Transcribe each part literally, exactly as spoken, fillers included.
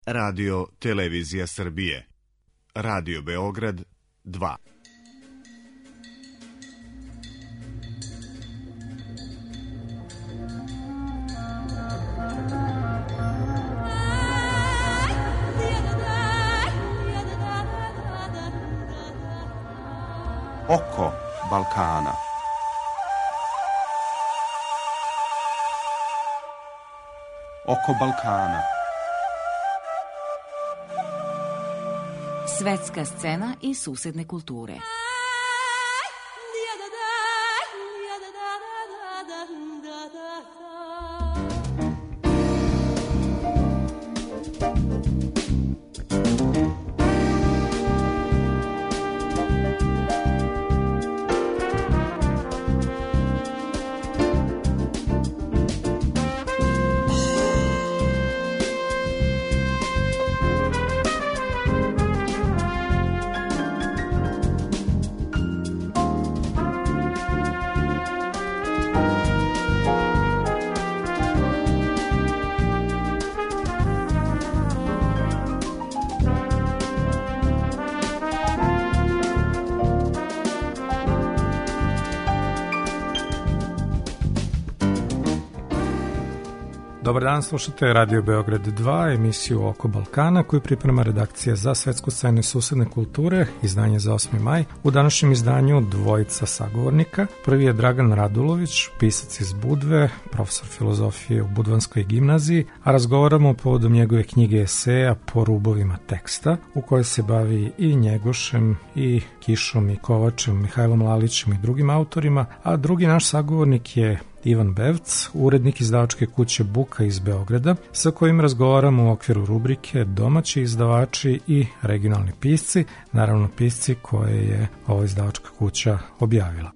Radio Televizija Srbije. Radio Beograd dva. Oko Balkana. Oko Balkana. Svetska scena i susedne kulture. Dobar dan, slušate Radio Beograd dva, emisiju Oko Balkana koju priprema redakcija za svetsku scenu i susedne kulture, izdanje za osmi maj. U današnjem izdanju dvojica sagovornika. Prvi je Dragan Radulović, pisac iz Budve, profesor filozofije u Budvanskoj gimnaziji, a razgovaramo povodom njegove knjige eseja Po rubovima teksta, u kojoj se bavi i Njegošem, i Kišom, i Kovačem, Mihajlom Lalićem i drugim autorima, a drugi naš sagovornik je Ivan Bevc, urednik izdavačke kuće Buka iz Beograda, sa kojim razgovaramo u okviru rubrike Domaći izdavači i regionalni pisci, naravno pisci koje je ova izdavačka kuća objavila.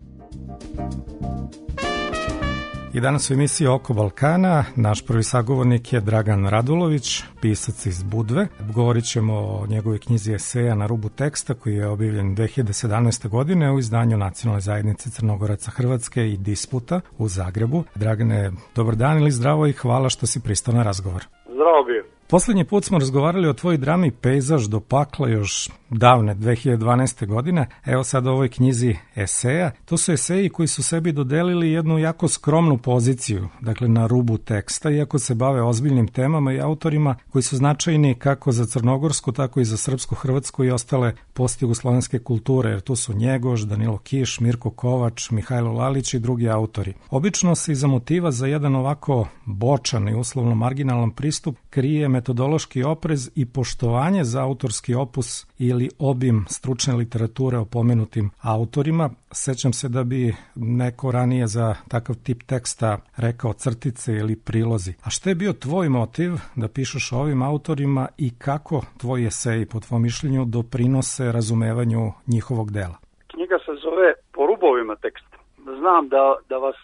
I danas u emisiji Oko Balkana naš prvi sagovornik je Dragan Radulović, pisac iz Budve. Govorit ćemo o njegovoj knjizi eseja Na rubu teksta koji je objavljen dve hiljade sedamnaeste. godine u izdanju Nacionalne zajednice Crnogoraca Hrvatske i Disputa u Zagrebu. Dragane, dobar dan ili zdravo i hvala što si pristao na razgovor. Zdravo bio. Poslednji put smo razgovarali o tvojoj drami Pejzaž do pakla još davne dve hiljade dvanaeste. godine. Evo sad o ovoj knjizi eseja. To su eseji koji su sebi dodelili jednu jako skromnu poziciju, dakle na rubu teksta, iako se bave ozbiljnim temama i autorima koji su značajni kako za crnogorsku, tako i za srpsku, hrvatsku i ostale postjugoslovenske kulture, jer tu su Njegoš, Danilo Kiš, Mirko Kovač, Mihajlo Lalić i drugi autori. Obično se iza motiva za jedan ovako bočan i uslovno marginalan pristup krije metodološki oprez i poštovanje za autorski opus ili obim stručne literature o pomenutim autorima. Sećam se da bi neko ranije za takav tip teksta rekao crtice ili prilozi. A šta je bio tvoj motiv da pišeš o ovim autorima i kako tvoji eseji, po tvom mišljenju, doprinose razumevanju njihovog dela? Knjiga se zove Po rubovima teksta. Znam da, da vas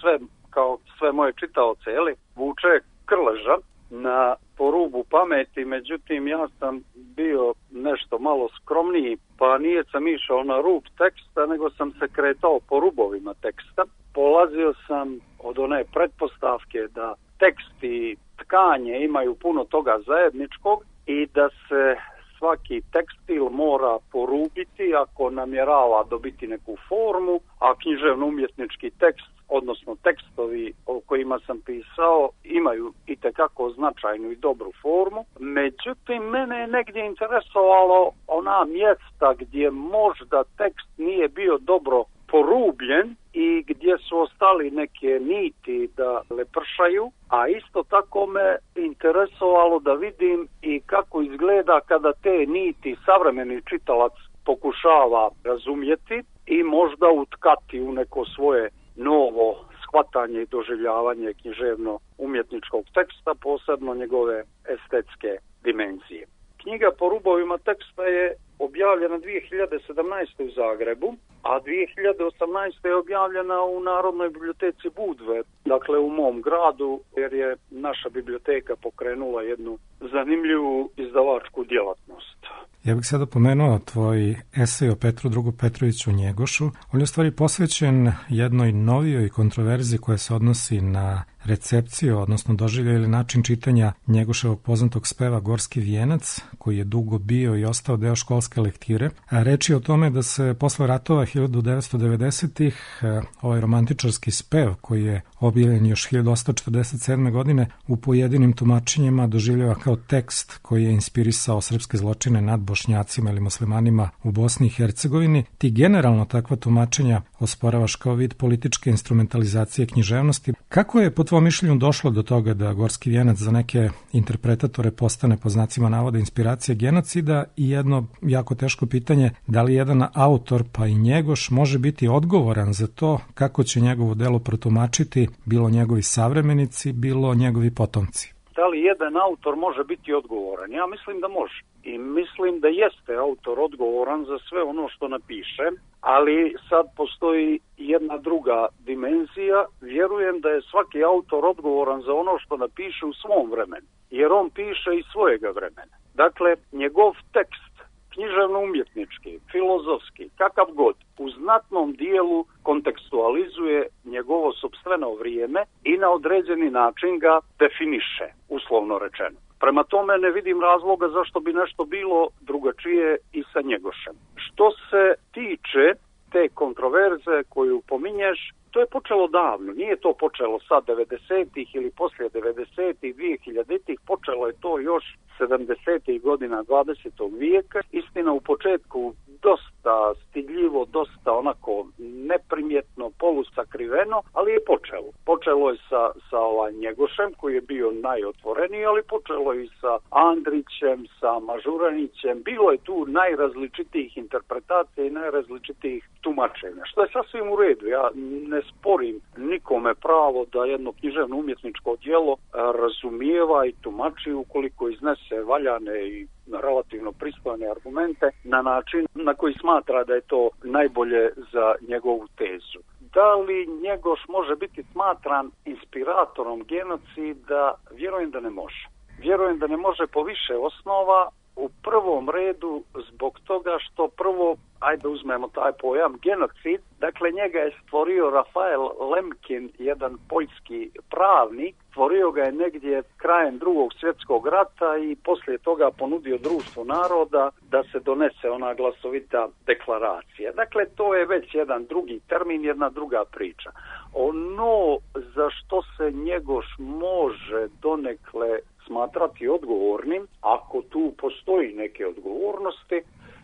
sve, kao sve moje čitaoce, jeli, vuče krleža na po rubu pameti, međutim ja sam bio nešto malo skromniji, pa nije sam išao na rub teksta, nego sam se kretao po rubovima teksta. Polazio sam od one pretpostavke da tekst i tkanje imaju puno toga zajedničkog i da se svaki tekstil mora porubiti ako namjerava dobiti neku formu, a književno-umjetnički tekst, odnosno tekstovi o kojima sam pisao, imaju itekako značajnu i dobru formu. Međutim, mene je negdje interesovalo ona mjesta gdje možda tekst nije bio dobro porubljen i gdje su ostali neke niti da lepršaju, a isto tako me interesovalo da vidim i kako izgleda kada te niti savremeni čitalac pokušava razumjeti i možda utkati u neko svoje novo shvatanje i doživljavanje književno-umjetničkog teksta, posebno njegove estetske dimenzije. Knjiga Po rubovima teksta je objavljena dve hiljade sedamnaeste. u Zagrebu, a dve hiljade osamnaeste. je objavljena u Narodnoj biblioteci Budve, dakle u mom gradu, jer je naša biblioteka pokrenula jednu zanimljivu izdavačku djelatnost. Ja bih sada pomenuo tvoj esej o Petru drugom Petroviću Njegošu. On je u stvari posvećen jednoj novijoj kontroverziji koja se odnosi na recepciju, odnosno doživljaj ili način čitanja Njegoševog poznatog speva Gorski vijenac, koji je dugo bio i ostao deo školske lektire. Reč je o tome da se posle ratova hiljadu devetsto devedesetih ovaj romantičarski spev, koji je objavljen još hiljadu osamsto četrdeset sedme. godine, u pojedinim tumačenjima doživljava kao tekst koji je inspirisao srpske zločine nad Bošnjacima ili muslimanima u Bosni i Hercegovini. Ti generalno takva tumačenja osporavaš kao vid političke instrumentalizacije književnosti. Kako je po tvojom mišljenju došlo do toga da Gorski vijenac za neke interpretatore postane po znacima navoda inspiracija genocida i jedno jako teško pitanje, da li jedan autor pa i Njegoš može biti odgovoran za to kako će njegovo delo protumačiti bilo njegovi savremenici, bilo njegovi potomci? Da li jedan autor može biti odgovoran? Ja mislim da može. I mislim da jeste autor odgovoran za sve ono što napiše, ali sad postoji jedna druga dimenzija. Vjerujem da je svaki autor odgovoran za ono što napiše u svom vremenu, jer on piše iz svojega vremena. Dakle, njegov tekst, književno-umjetnički, filozofski, kakav god, u znatnom dijelu kontekstualizuje njegovo sopstveno vrijeme i na određeni način ga definiše, uslovno rečeno. Prema tome ne vidim razloga zašto bi nešto bilo drugačije i sa Njegošem. Što se tiče te kontroverze koju pominješ, to je počelo davno. Nije to počelo sad devedesetih ili poslije devedesetih, dvije-hiljaditih, počelo je to još sedamdesetih godina dvadesetog vijeka. Istina, u početku dosta stidljivo, dosta onako neprimjetno, polusakriveno, ali je počelo. Počelo je sa, sa ovaj Njegošem, koji je bio najotvoreniji, ali počelo je i sa Andrićem, sa Mažuranićem. Bilo je tu najrazličitijih interpretacija i najrazličitijih tumačenja, što je sasvim u redu. Ja ne sporim nikome pravo da jedno književno umjetničko djelo razumijeva i tumači ukoliko iznese valjane i relativno pristojne argumente na način na koji smatra da je to najbolje za njegovu tezu. Da li Njegoš može biti smatran inspiratorom genocida? Vjerujem da ne može. Vjerujem da ne može po više osnova. U prvom redu zbog toga što prvo, ajde uzmemo taj pojam, genocid, dakle njega je stvorio Rafael Lemkin, jedan poljski pravnik, stvorio ga je negdje krajem drugog svjetskog rata i poslije toga ponudio Društvu naroda da se donese ona glasovita deklaracija. Dakle, to je već jedan drugi termin, jedna druga priča. Ono za što se Njegoš može donekle smatrati odgovornim, ako tu postoji neke odgovornosti,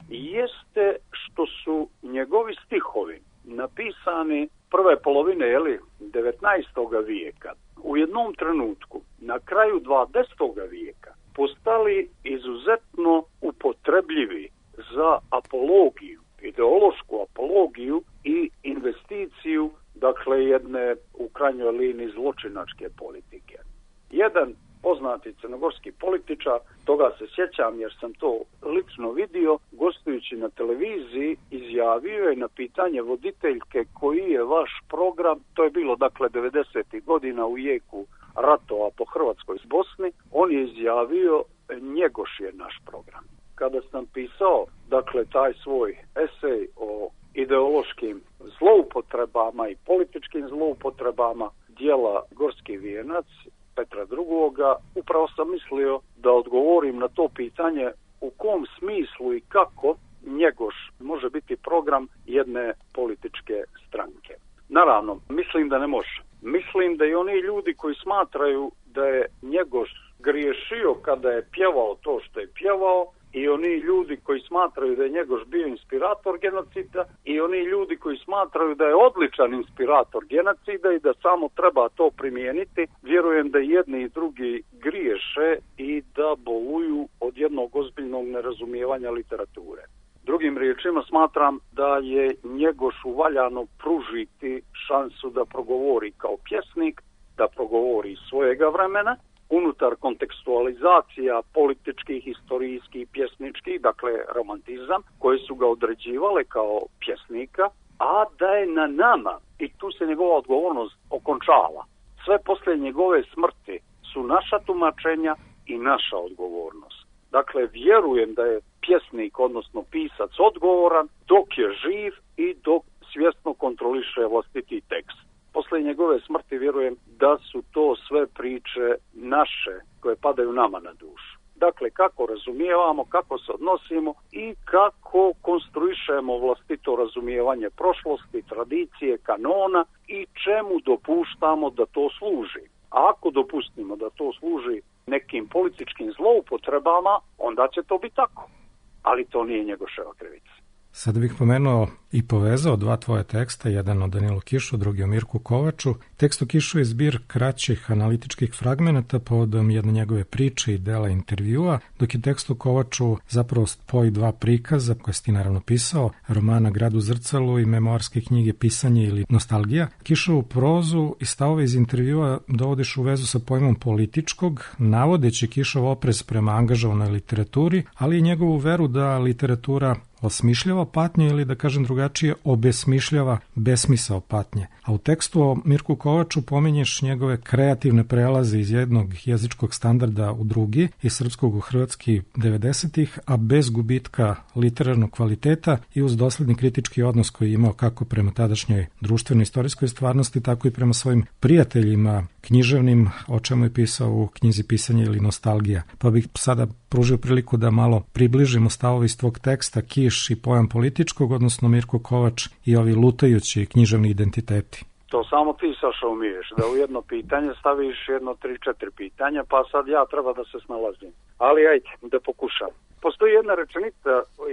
jeste što su njegovi stihovi napisani prve polovine jeli, devetnaestog vijeka. U jednom trenutku, na kraju dvadesetog vijeka, postali izuzetno upotrebljivi za apologiju, ideološku apologiju i investiciju, dakle jedne u krajnjoj liniji zločinačke politike. Jedan poznati crnogorski političar, toga se sjećam jer sam to lično vidio, gostujući na televiziji, izjavio je na pitanje voditeljke koji je vaš program, to je bilo dakle devedesetih godina u jeku ratova po Hrvatskoj s Bosni, on je izjavio Njegoš je naš program. Kada sam pisao dakle taj svoj esej o ideološkim zloupotrebama i političkim zloupotrebama djela Gorski vijenac Petra drugoga, upravo sam mislio da odgovorim na to pitanje u kom smislu i kako Njegoš može biti program jedne političke stranke. Naravno, mislim da ne može. Mislim da i oni ljudi koji smatraju da je Njegoš griješio kada je pjevao to što je pjevao, i oni ljudi koji smatraju da je Njegoš bio inspirator genocida, i oni ljudi koji smatraju da je odličan inspirator genocida i da samo treba to primijeniti, vjerujem da jedni i drugi griješe i da boluju od jednog ozbiljnog nerazumijevanja literature. Drugim riječima, smatram da je Njegošu valjano pružiti šansu da progovori kao pjesnik, da progovori iz svojega vremena, unutar kontekstualizacija političkih, historijskih, pjesničkih, dakle romantizam, koje su ga određivale kao pjesnika, a da je na nama, i tu se njegova odgovornost okončava. Sve poslije njegove smrti su naša tumačenja i naša odgovornost. Dakle, vjerujem da je pjesnik, odnosno pisac, odgovoran dok je živ i dok svjesno kontroliše vlastiti tekst. poslije njegove smrti vjerujem da su to sve priče naše koje padaju nama na dušu. Dakle, kako razumijevamo, kako se odnosimo i kako konstruišemo vlastito razumijevanje prošlosti, tradicije, kanona i čemu dopuštamo da to služi. A ako dopustimo da to služi nekim političkim zloupotrebama, onda će to biti tako. Ali to nije Njegoševa krivica. Sada bih pomenuo i povezao dva tvoje teksta, jedan o Danilu Kišu, drugi o Mirku Kovaču. Tekst o Kišu je zbir kraćih analitičkih fragmenata povodom jedne njegove priče i dela intervjua, dok je tekst o Kovaču zapravo spoj dva prikaza koje si ti naravno pisao, romana Grad u zrcalu i memoarske knjige Pisanje ili Nostalgija. Kišovu prozu i stavove iz intervjua dovodiš u vezu sa pojmom političkog, navodeći Kišov oprez prema angažovanoj literaturi, ali i njegovu veru da literatura osmišljava patnju ili, da kažem drugačije, obesmišljava besmisao patnje. A u tekstu o Mirku Kovaču pominješ njegove kreativne prelaze iz jednog jezičkog standarda u drugi, iz srpskog u hrvatski devedesetih, a bez gubitka literarnog kvaliteta i uz dosledni kritički odnos koji je imao kako prema tadašnjoj društvenoj istorijskoj stvarnosti, tako i prema svojim prijateljima književnim, o čemu je pisao u knjizi Pisanje ili Nostalgija. Pa bih sada pružio priliku da malo približimo stavove iz tvog teksta Kiš i pojam političkog, odnosno Mirko Kovač i ovi lutajući književni identiteti. To samo ti, Saša, umiješ, da u jedno pitanje staviš jedno tri, četiri pitanja, pa sad ja treba da se snalazim. Ali ajde, da pokušam. Postoji jedna rečenica,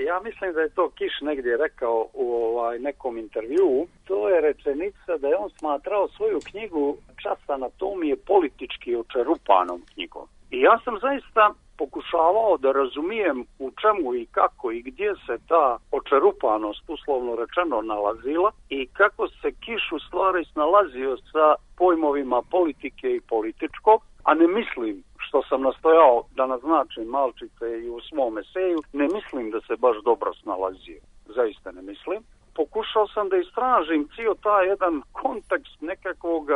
ja mislim da je to Kiš negdje rekao u ovaj, nekom intervjuu, to je rečenica da je on smatrao svoju knjigu Čas anatomije politički očerupanom knjigom. I ja sam zaista pokušavao da razumijem u čemu i kako i gdje se ta očerupanost, uslovno rečeno, nalazila i kako se Kiš u stvari snalazio sa pojmovima politike i političkog, a ne mislim, što sam nastojao da naznačim malčice i u svom eseju, ne mislim da se baš dobro snalazio. Zaista ne mislim. Pokušao sam da istražim cijel taj jedan kontekst nekakvog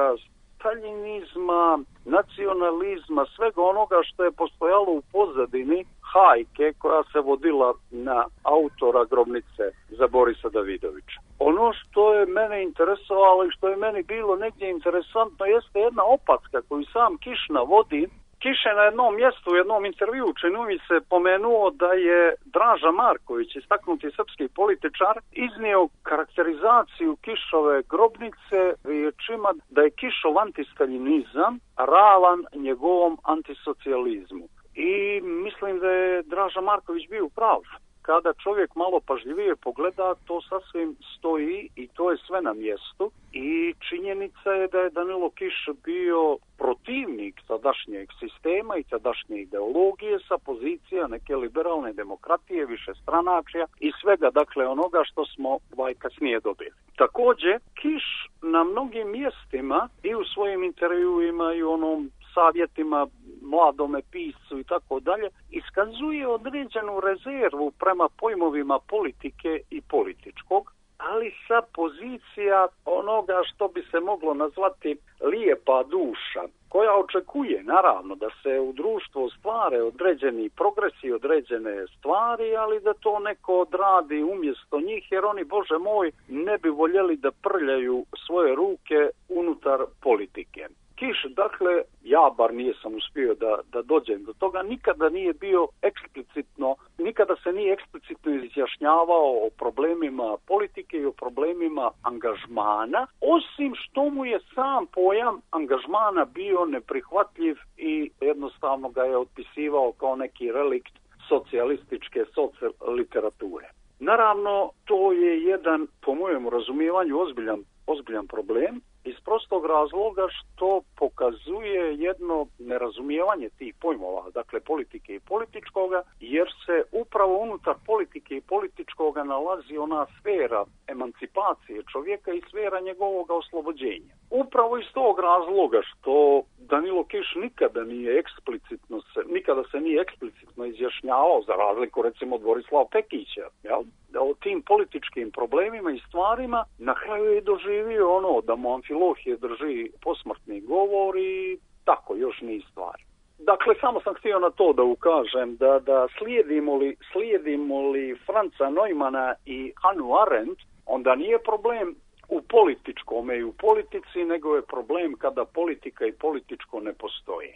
staljinizma, nacionalizma, svega onoga što je postojalo u pozadini hajke koja se vodila na autora grobnice za Borisa Davidovića. Ono što je mene interesovalo i što je meni bilo negdje interesantno jeste jedna opaska koju sam Kiš navodi. Kiš je na jednom mjestu, u jednom intervjuu, čini mi se, pomenuo da je Draža Marković, istaknuti srpski političar, iznio karakterizaciju Kišove grobnice riječima da je Kišov antistaljinizam ravan njegovom antisocijalizmu. I mislim da je Draža Marković bio prav. Kada čovjek malo pažljivije pogleda, to sasvim stoji i to je sve na mjestu. I činjenica je da je Danilo Kiš bio protivnik tadašnjeg sistema i tadašnje ideologije sa pozicija neke liberalne demokratije, višestranačja i svega, dakle, onoga što smo ovaj kasnije dobili. Također, Kiš na mnogim mjestima i u svojim intervjuima i u onom savjetima mladome piscu i tako dalje, iskazuje određenu rezervu prema pojmovima politike i političkog, ali sa pozicija onoga što bi se moglo nazvati lijepa duša, koja očekuje naravno da se u društvu ostvare određeni progresi, određene stvari, ali da to neko odradi umjesto njih, jer oni, Bože moj, ne bi voljeli da prljaju svoje ruke unutar politike. Kiš, dakle, ja bar nisam uspio da, da dođem do toga, nikada nije bio eksplicitno, nikada se nije eksplicitno izjašnjavao o problemima politike i o problemima angažmana, osim što mu je sam pojam angažmana bio neprihvatljiv i jednostavno ga je otpisivao kao neki relikt socijalističke socijal literature. Naravno, to je jedan, po mojem razumijevanju, ozbiljan, ozbiljan problem, iz prostog razloga što pokazuje jedno nerazumijevanje tih pojmova, dakle politike i političkoga, jer se upravo unutar politike i političkoga nalazi ona sfera emancipacije čovjeka i sfera njegovog oslobođenja. Upravo iz tog razloga što Danilo Kiš nikada nije eksplicitno se, nikada se nije eksplicitno izjašnjavao, za razliku recimo od Borislava Pekića, jel? Da o tim političkim problemima i stvarima na kraju je doživio ono da mu Amfilohije drži posmrtni govor i tako još niz stvari. Dakle, samo sam htio na to da ukažem da, da slijedimo li, slijedimo li Franca Neumana i Hannah Arendt, onda nije problem u političkome i u politici, nego je problem kada politika i političko ne postoje.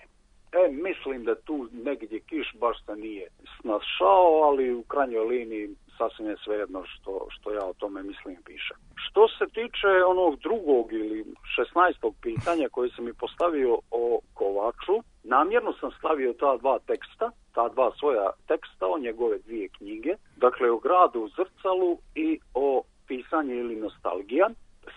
E, mislim da tu negdje kiš baš se nije snašao, ali u krajnjoj liniji sasvim je svejedno što, što ja o tome mislim pišem. Što se tiče onog drugog ili šesnaestog pitanja koje sam mi postavio o Kovaču, namjerno sam stavio ta dva teksta, ta dva svoja teksta o njegove dvije knjige, dakle o Gradu u zrcalu i o Pisanje ili nostalgija.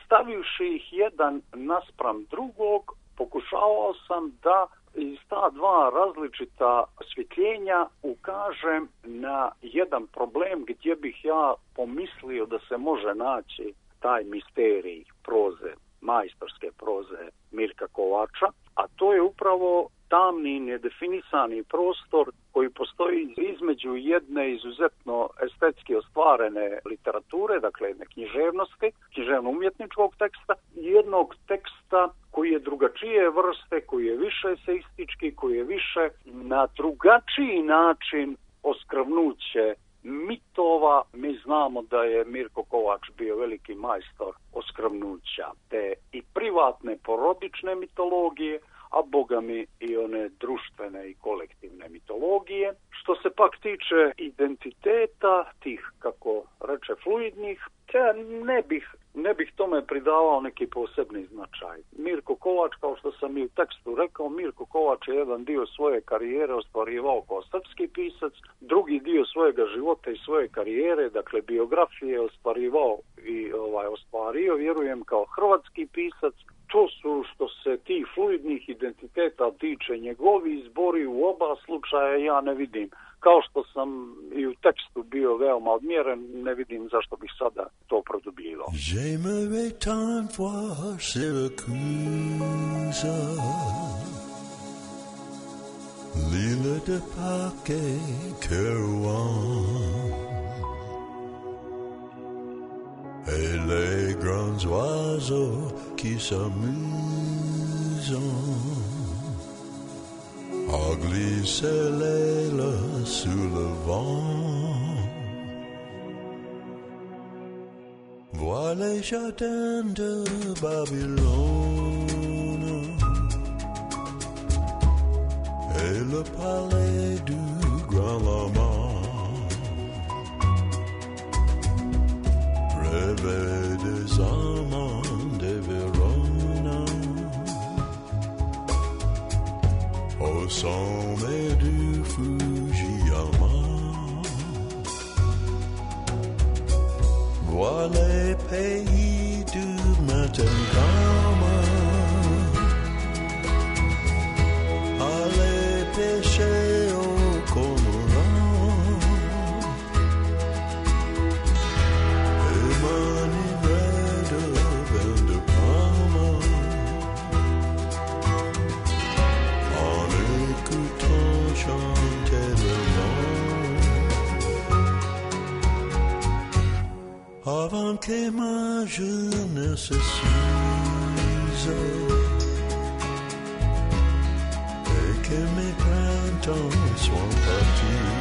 Stavivši ih jedan naspram drugog, pokušavao sam da iz ta dva različita osvjetljenja ukažem na jedan problem gdje bih ja pomislio da se može naći taj misterij proze, majstorske proze Mirka Kovača, a to je upravo tamni, nedefinisani prostor koji postoji između jedne izuzetno estetski ostvarene literature, dakle jedne književnosti, književno-umjetničkog teksta, i jednog teksta koji je drugačije vrste, koji je više eseistički, koji je više na drugačiji način oskrvnuće mitova. Mi znamo da je Mirko Kovač bio veliki majstor oskrvnuća te i privatne porodične mitologije, a boga mi i one društvene i kolektivne mitologije. Što se pak tiče identiteta, tih, kako reče, fluidnih, ja ne bih, ne bih tome pridavao neki posebni značaj. Mirko Kovač, kao što sam i u tekstu rekao, Mirko Kovač je jedan dio svoje karijere ostvarivao kao srpski pisac, drugi dio svojega života i svoje karijere, dakle biografije, ostvarivao i ovaj, ostvario, vjerujem, kao hrvatski pisac. To su, što se tih fluidnih identiteta tiče, njegovi izbori u oba slučaja ja ne vidim. Kao što sam i u tekstu bio veoma odmjeren, ne vidim zašto bih sada to produbljivao. J'aimerais tant voir Syracuse, l'île de Pâques et Kerouan, et les grands oiseaux qui s'amusent à glisser l'aile sous le vent. Vois les jardins de Babylone et le palais du grand lama. Rêver des amants de Verona au sommet du Fujiyama. Vois les pays du matin calme, aller pêcher au cormorant et m'enivrer de vin de Parma en écoutant chanter le vent. Avant que ma jeunesse s'use et que mes printemps soient partis,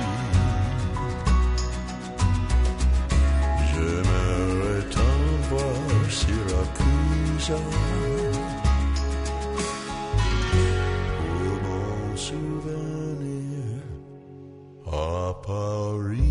j'aimerais tant voir Syracuse pour mon souvenir à Paris.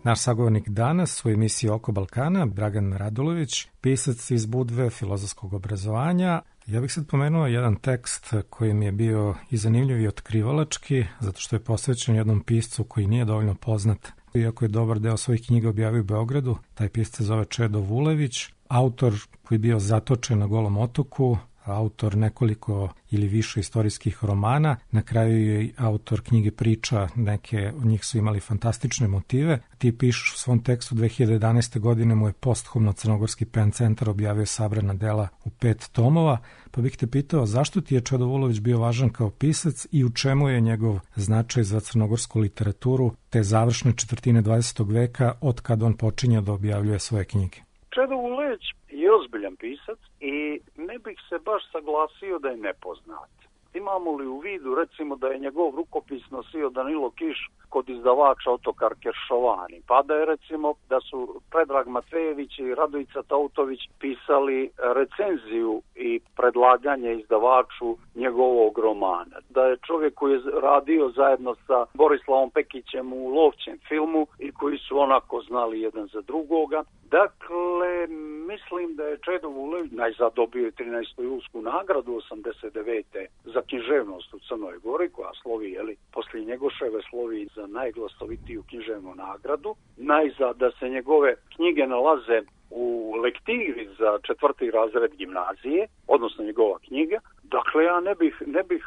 Naš sagovornik danas u emisiji Oko Balkana, Dragan Radulović, pisac iz Budve filozofskog obrazovanja. Ja bih sad pomenuo jedan tekst koji mi je bio i zanimljiv i otkrivalački, zato što je posvećen jednom piscu koji nije dovoljno poznat. Iako je dobar deo svojih knjiga objavio u Beogradu, taj pisac se zove Čedo Vulević, autor koji je bio zatočen na Golom otoku, autor nekoliko ili više istorijskih romana, na kraju je autor knjige priča, neke od njih su imali fantastične motive. Ti pišeš u svom tekstu dve hiljade jedanaeste. godine mu je posthumno Crnogorski pen centar objavio sabrana dela u pet tomova, pa bih te pitao zašto ti je Čedo Vulović bio važan kao pisac i u čemu je njegov značaj za crnogorsku literaturu te završne četvrtine dvadesetog veka od kad on počinje da objavljuje svoje knjige. Čedo Vulević je ozbiljan pisac i ne bih se baš saglasio da je nepoznat. Imamo li u vidu, recimo, da je njegov rukopis nosio Danilo Kiš, kod izdavača Otokar Keršovani, pa da je recimo da su Predrag Matvejević i Radojica Tautović pisali recenziju i predlaganje izdavaču njegovog romana. Da je čovjek koji je radio zajedno sa Borislavom Pekićem u Lovćem filmu i koji su onako znali jedan za drugoga. Dakle, mislim da je Čedo Vulević najzad dobio trinaestu julsku nagradu osamdeset devete za književnost u Crnoj Gori, koja slovi, jeli, poslije Njegoševe slovi za najglasovitiju književnu nagradu. Najzad da se njegove knjige nalaze u lektiri za četvrti razred gimnazije, odnosno njegova knjiga. Dakle, ja ne bih, ne bih,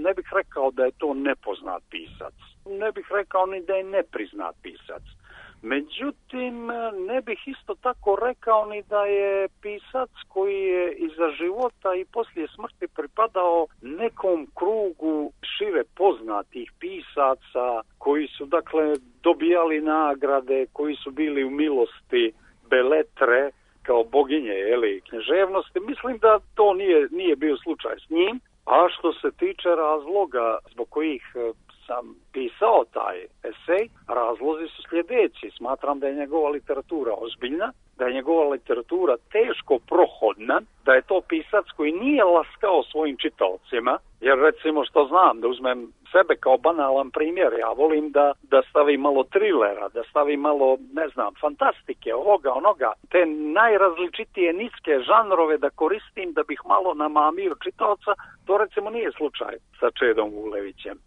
ne bih rekao da je to nepoznat pisac. Ne bih rekao ni da je nepriznat pisac. Međutim, ne bih isto tako rekao ni da je pisac koji je iza života i poslije smrti pripadao nekom krugu šire poznatih pisaca koji su, dakle, dobijali nagrade, koji su bili u milosti Beletre kao boginje, jeli, književnosti. Mislim da to nije, nije bio slučaj s njim. A što se tiče razloga zbog kojih sam pisao taj esej, razlozi su sljedeći. Smatram da je njegova literatura ozbiljna, da je njegova literatura teško prohodna, da je to pisac koji nije laskao svojim čitaocima, jer recimo što znam, da uzmem sebe kao banalan primjer, ja volim da, da stavim malo trilera, da stavim malo, ne znam, fantastike, ovoga, onoga, te najrazličitije niske žanrove da koristim da bih malo namamio čitaoca, to recimo nije slučaj sa Čedom Vulevićem.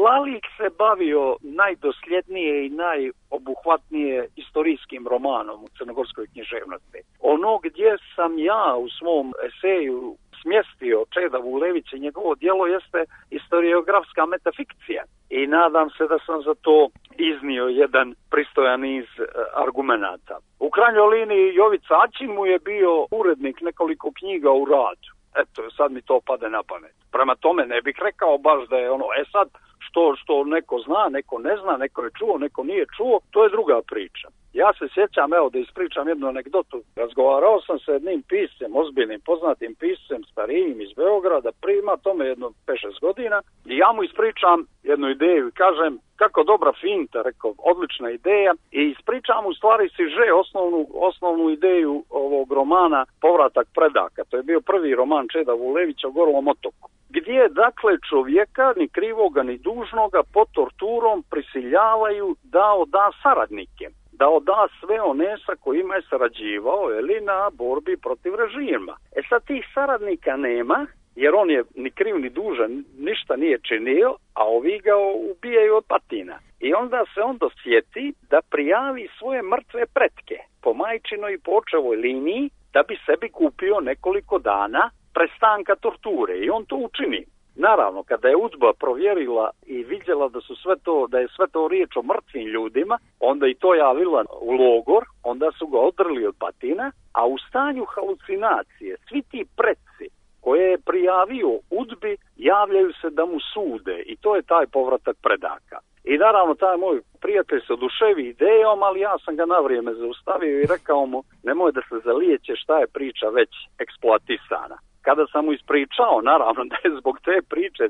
Lalik se bavio najdosljednije i najobuhvatnije istorijskim romanom u crnogorskoj književnosti. Ono gdje sam ja u svom eseju smjestio Čeda Vulevića i njegovo djelo jeste historiografska metafikcija. I nadam se da sam za to iznio jedan pristojan niz argumenata. U krajnjoj liniji Jovica Aćin mu je bio urednik nekoliko knjiga u radu. Eto, sad mi to pade na pamet. Prema tome ne bih rekao baš da je ono, e sad, što, što neko zna, neko ne zna, neko je čuo, neko nije čuo, to je druga priča. Ja se sjećam, evo da ispričam jednu anegdotu. Razgovarao sam sa jednim piscem, ozbiljnim, poznatim piscem, starijim iz Beograda, prima tome jedno pet šest godina, i ja mu ispričam jednu ideju i kažem, kako dobra finta, rekao, odlična ideja, i ispričam u stvari siže, osnovnu, osnovnu ideju ovog romana Povratak predaka. To je bio prvi roman Čeda Vulevića o Golom otoku, gdje dakle čovjeka, ni krivoga ni dužnoga, pod torturom prisiljavaju da oda saradnike, da oda sve one sa kojima je sarađivao, ili na borbi protiv režima. E sad tih saradnika nema, jer on je ni kriv ni dužan, ništa nije činio, a ovi ga ubijaju od patina. I onda se on dosjeti da prijavi svoje mrtve pretke po majčinoj i po očevoj liniji, da bi sebi kupio nekoliko dana prestanka torture, i on to učini. Naravno, kada je UDBA provjerila i vidjela da su sve to, da je sve to riječ o mrtvim ljudima, onda i to javila u logor, onda su ga odrli od patina, a u stanju halucinacije svi ti pretci koje je prijavio UDBI javljaju se da mu sude, i to je taj povratak predaka. I naravno, taj moj prijatelj se oduševi idejom, ali ja sam ga na vrijeme zaustavio i rekao mu, nemoj da se zalijeće, šta je priča već eksploatisana. Kada sam mu ispričao, naravno, da je zbog te priče,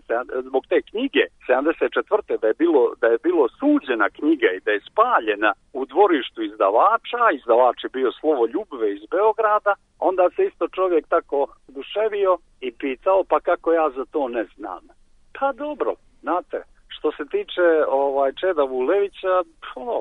zbog te knjige sedamdeset četvrte da je bilo, da je bilo suđena knjiga i da je spaljena u dvorištu izdavača, izdavač je bio Slovo Ljubve iz Beograda, onda se isto čovjek tako oduševio i pitao, pa kako ja za to ne znam. Pa dobro, znate, što se tiče ovaj Čeda Vulevića, ono,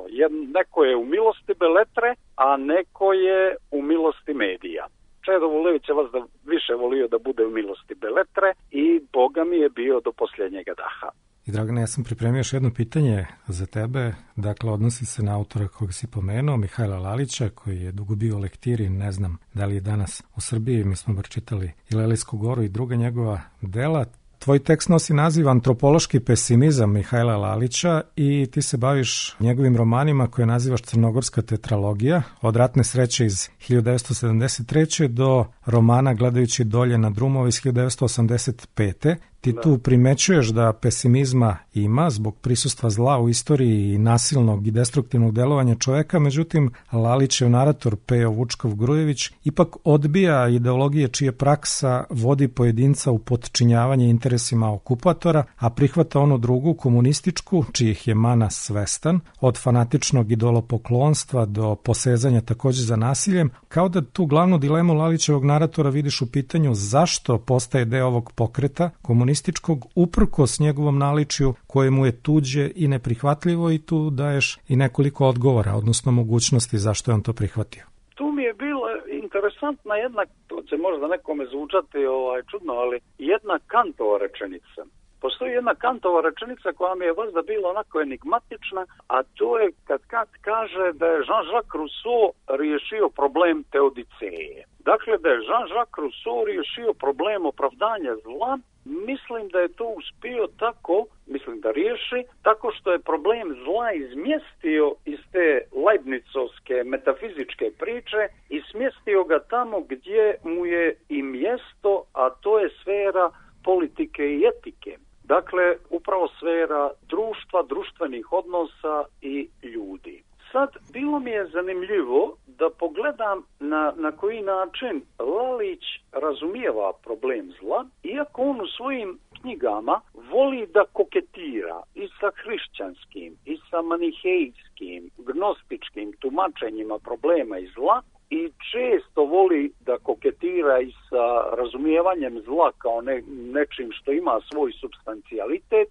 neko je u milosti Beletre, a neko je u milosti medija. Čedo Vulević je vas da više volio da bude u milosti Beletre i Boga mi je bio do posljednjega daha. I Dragane, ja sam pripremio još jedno pitanje za tebe, dakle odnosi se na autora kojeg si pomenuo, Mihajla Lalića, koji je dugo bio u lektiri, ne znam da li je danas u Srbiji, mi smo bar čitali i Lelijsku goru i druga njegova dela. Tvoj tekst nosi naziv Antropološki pesimizam Mihajla Lalića i ti se baviš njegovim romanima koje nazivaš Crnogorska tetralogija, od Ratne sreće iz hiljadu devetsto sedamdeset treće do romana Gledajući dolje na drumove iz hiljadu devetsto osamdeset pete Ti Da. tu primećuješ da pesimizma ima zbog prisustva zla u istoriji i nasilnog i destruktivnog delovanja čoveka, međutim Lalićev narator Pejo Vučkov-Grujević ipak odbija ideologije čije praksa vodi pojedinca u potčinjavanje interesima okupatora, a prihvata onu drugu, komunističku, čijih je mana svestan, od fanatičnog idolopoklonstva do posezanja takođe za nasiljem, kao da tu glavnu dilemu Lalićevog naratora vidiš u pitanju zašto postaje deo ovog pokreta komunističkog uprkos njegovom naličju koje mu je tuđe i neprihvatljivo, i tu daješ i nekoliko odgovora, odnosno mogućnosti zašto je on to prihvatio. Tu mi je bila interesantna jedna, to će možda nekome zvučati ovaj, čudno, ali jedna Kantova rečenica. Postoji jedna Kantova rečenica koja mi je vazda bila onako enigmatična, a to je kad Kant kaže da je Jean-Jacques Rousseau riješio problem teodiceje. Dakle, da je Jean-Jacques Rousseau riješio problem opravdanja zla. Mislim da je to uspio tako, mislim da riješi, tako što je problem zla izmjestio iz te leibnicovske metafizičke priče i smjestio ga tamo gdje mu je i mjesto, a to je sfera politike i etike. Dakle, upravo sfera društva, društvenih odnosa i ljudi. Sad, bilo mi je zanimljivo da pogledam na, na koji način Lalić razumijeva problem zla, iako on u svojim knjigama voli da koketira i sa hrišćanskim, i sa manihejskim, gnostičkim tumačenjima problema i zla, i često voli da koketira i sa razumijevanjem zla kao ne, nečim što ima svoj supstancijalitet.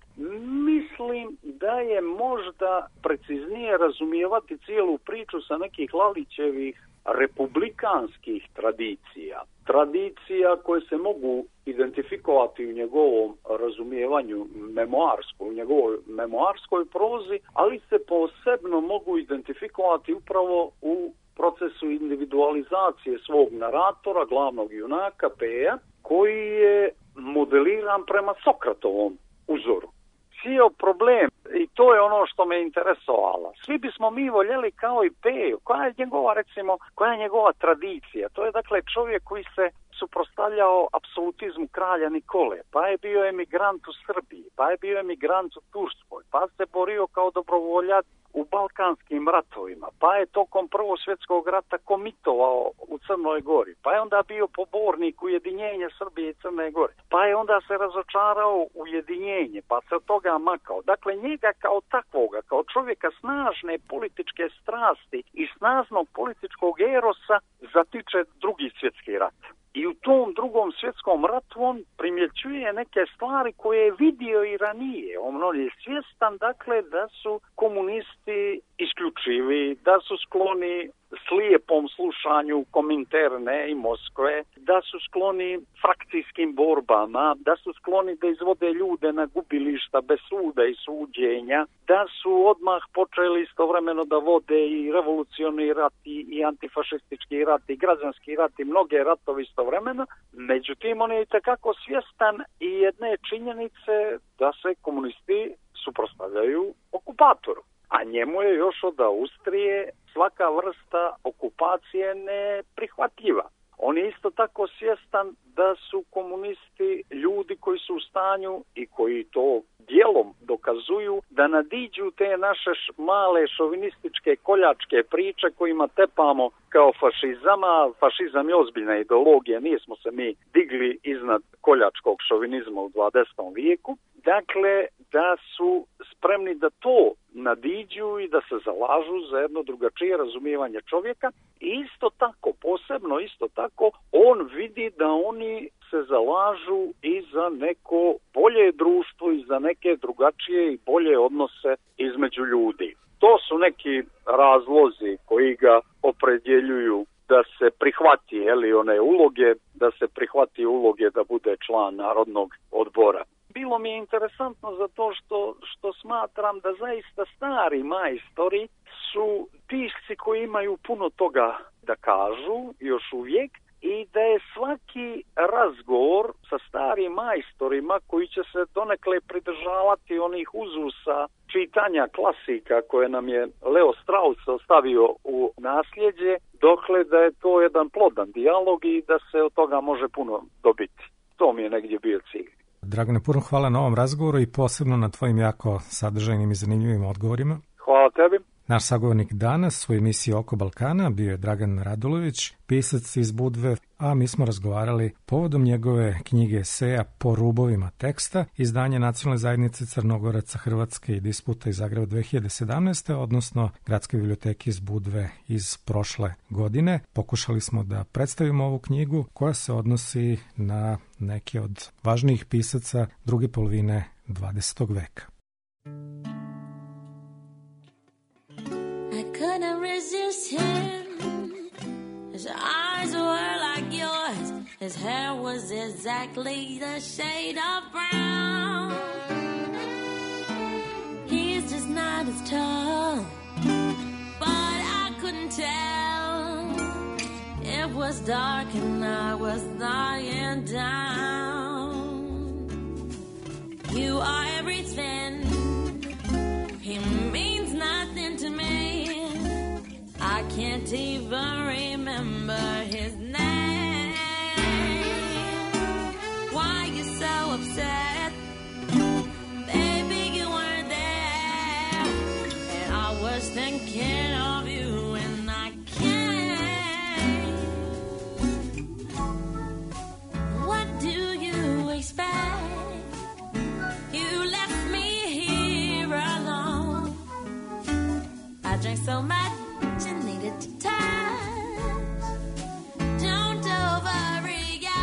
Mislim da je možda preciznije razumijevati cijelu priču sa nekih Lalićevih republikanskih tradicija. Tradicija koje se mogu identifikovati u njegovom razumijevanju memoarskoj, u njegovoj memoarskoj prozi, ali se posebno mogu identifikovati upravo u procesu individualizacije svog naratora, glavnog junaka, Peja, koji je modeliran prema Sokratovom uzoru. Cijel problem, i to je ono što me interesovalo, svi bismo mi voljeli kao i Peju, koja je njegova, recimo, koja je njegova tradicija. To je dakle čovjek koji se suprotstavljao apsolutizmu kralja Nikole, pa je bio emigrant u Srbiji, pa je bio emigrant u Turskoj, pa se borio kao dobrovoljac u balkanskim ratovima, pa je tokom Prvog svjetskog rata komitovao u Crnoj Gori, pa je onda bio pobornik ujedinjenja Srbije i Crne Gore, pa je onda se razočarao u ujedinjenje, pa se od toga makao. Dakle, njega kao takvoga, kao čovjeka snažne političke strasti i snažnog političkog erosa zatiče Drugi svjetski rat. I u tom Drugom svjetskom ratu on primjećuje neke stvari koje je vidio i ranije. On je svjestan, dakle, da su komunisti isključivi, da su skloni slijepom slušanju Kominterne i Moskve, da su skloni frakcijskim borbama, da su skloni da izvode ljude na gubilišta bez suda i suđenja, da su odmah počeli istovremeno da vode i revolucioni rat i, i antifašistički rat i građanski rat i mnoge ratovi istovremeno. Međutim, on je itekako svjestan i jedne činjenice da se komunisti suprotstavljaju okupatoru. A njemu je još od Austrije svaka vrsta okupacije neprihvatljiva. On je isto tako svjestan da su komunisti ljudi koji su u stanju i koji to dijelom dokazuju da nadiđu te naše male šovinističke koljačke priče kojima tepamo kao fašizama. Fašizam je ozbiljna ideologija, nismo se mi digli iznad koljačkog šovinizma u dvadesetom vijeku. Dakle, da su spremni da to nadiđu i da se zalažu za jedno drugačije razumijevanje čovjeka. I isto tako, posebno isto tako, on vidi da oni se zalažu i za neko bolje društvo i za neke drugačije i bolje odnose između ljudi. To su neki razlozi koji ga opredjeljuju da se prihvati, jeli, one uloge, da se prihvati uloge da bude član Narodnog odbora. Bilo mi je interesantno zato što, što smatram da zaista stari majstori su pisci koji imaju puno toga da kažu još uvijek i da je svaki razgovor sa starim majstorima koji će se donekle pridržavati onih uzusa čitanja klasika koje nam je Leo Strauss ostavio u nasljeđe, dokle da je to jedan plodan dijalog i da se od toga može puno dobiti. To mi je negdje bio cilj. Dragane, puno hvala na ovom razgovoru i posebno na tvojim jako sadržajnim i zanimljivim odgovorima. Hvala tebi. Naš sagovornik danas u emisiji Oko Balkana bio je Dragan Radulović, pisac iz Budve, a mi smo razgovarali povodom njegove knjige eseja Po rubovima teksta, izdanje Nacionalne zajednice Crnogoraca Hrvatske i disputa iz Zagreba dve hiljade sedamnaeste. odnosno Gradske biblioteke iz Budve iz prošle godine. Pokušali smo da predstavimo ovu knjigu koja se odnosi na neke od važnijih pisaca druge polovine dvadesetog veka. Couldn't resist him. His eyes were like yours. His hair was exactly the shade of brown. He's just not as tall, but I couldn't tell. It was dark and I was lying down. You are everything. He means nothing to me. I can't even remember his name. Why you so upset? Baby, you weren't there. And I was thinking of you and I can't. What do you expect? You left me here alone. I drank so much you needed to touch. Don't overreact.